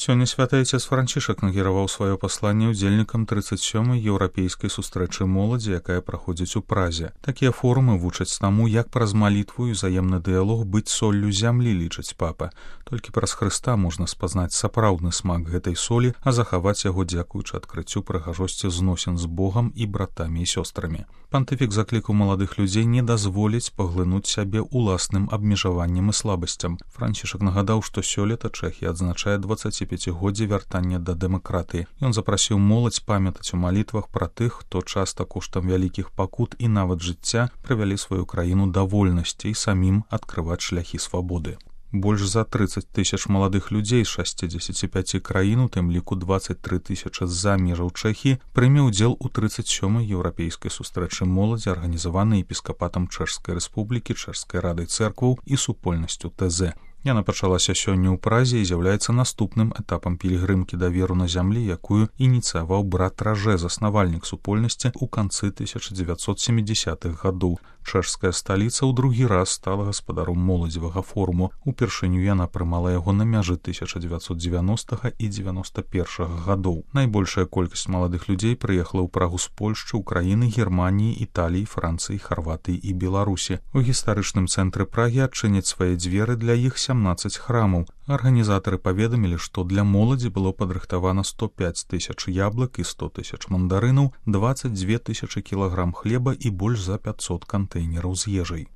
Сёння святы айцец Францішак накіраваў сваё пасланне ўдзельнікам 37-й еўрапейскай сустрэчы моладзі, якая праходзіць у Празе. Такія форумы вучаць таму, як праз малітву і ўзаемны дыялог быць соллю зямлі, лічыць папа. Толькі праз Хрыста можна спазнаць сапраўдны смак гэтай солі, а захаваць яго дзякуючы адкрыццю прыгажосці зносін з Богам і братамі і сёстрамі. Пантыфік заклікаў маладых людзей не дазволіць паглынуць сябе ўласным абмежаваннем і слабасцям. Францішак нагадаў, што сёлета Чэхія адзначае 25годдзе вяртання да дэмакратыі. Ён запрасіў моладзь памятаць у малітвах пра тых, хто часта коштам вялікіх пакут і нават жыцця прывялі сваю краіну да вольнасці і самім адкрываць шляхі свабоды. Больш за 30 тысяч маладых людзей з 65 краін, у тым ліку 23 тысячы з-за межаў Чэхіі, прыме ўдзел у 37-й еўрапейскай сустрэчы моладзі, арганізаванай епіскапатам Чэшскай рэспублікі, Чэшскай радай цэркваў і супольнасцю ТЗ. Яна пачалася сёння ў Празе і з'яўляецца наступным этапам пілігрымкі да веру на зямлі, якую ініцыяваў брат Ражэ, заснавальнік супольнасці ў канцы 1970-х гадоў. Чэшская сталіца ў другі раз стала гаспадаром моладзевага форуму. Упершыню яна прымала яго на мяжы 1990 і 91 гадоў. Найбольшая колькасць маладых людзей прыехала ў Прагу з Польшчы, Украіны, Германіі, Італіі, Францыі, Харватыі і Беларусі. У гістарычным цэнтры Прагі адчыняць свае дзверы для іх 17 храмаў. Арганізатары паведамілі, што для моладзі было падрыхтавана 105 тысяч яблык і 100 тысяч мандарынаў, 22 тысячы кілаграм хлеба і больш за 500 кантэйнераў з ежай.